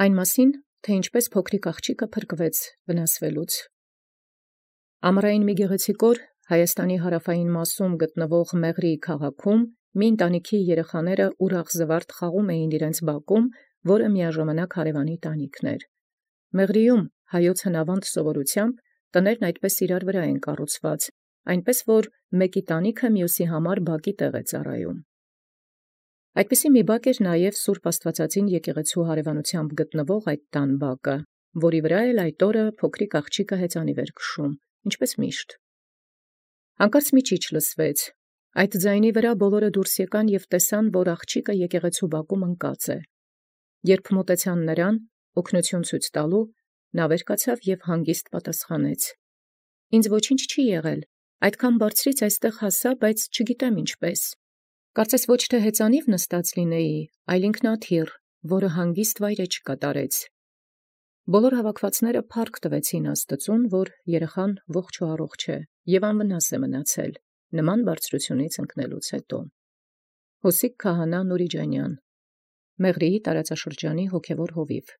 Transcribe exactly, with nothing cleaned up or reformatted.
Այն մասին, թէ ինչպէս փոքրիկ աղջիկը փրկվեց վնասելոց։ Ամառային մի գեղեցիկ օր յարաւային մասում Հայոց Մեղրիի քաղաքում մի ընտանիքի երեխաք ուրախ զվարթ խաղում իջան ի բակում, որը միաժամանակ հարևանի տանիքն էր։ Մեղրիում հայոց հնաւանդ սովորութեամբ տներն այդպէս իբրև կառուցեալ, այնպէս որ զմէկի տանիքը մյուսոյ բակի տեղ է ծառայում։ Այդպիսի մի բակ էր նաև սուրբ Աստուածածին եկեղեցւոյ հարևանութեամբ գտնվող այդ տան բակը, որի վրա էլ այդ օրը փոքրիկ աղջիկը հեծանիւ քշէր, ինչպէս միշտ։ Հանկարծ մի ճիչ լսվեց. այդ ձայնին վրա ամենայն դուրս ելանէին և տեսանէին, որ աղջիկը եկեղեցւոյ բակում ընկած է։ Երբ մատեցան նրան, օգնութիւն ցույց տալու, նա վեր կացավ և հանգիստ պատասխանեց. «Ինձ ոչինչ չի եղել, այդքան բարձրից այստեղ հասա, բայց չգիտեմ ինչպէս. կարծես ոչ թէ հեծանիւ նստած լինէի, այլ ինքնաթիռ, որը հանգիստ վայրէջք կատարեց»։ Բոլոր հաւաքելոցն փառք տուեալ Աստուծոյ, որ երեխան ողջ և առողջ է և անվնաս է մնացել նման բարձրութիւնից ընկնելուց յետոյ։ Յոսիկ քահանա Նուրիջանյան, Մեղրիի տարածաշրջանի հոգևոր հովիւ։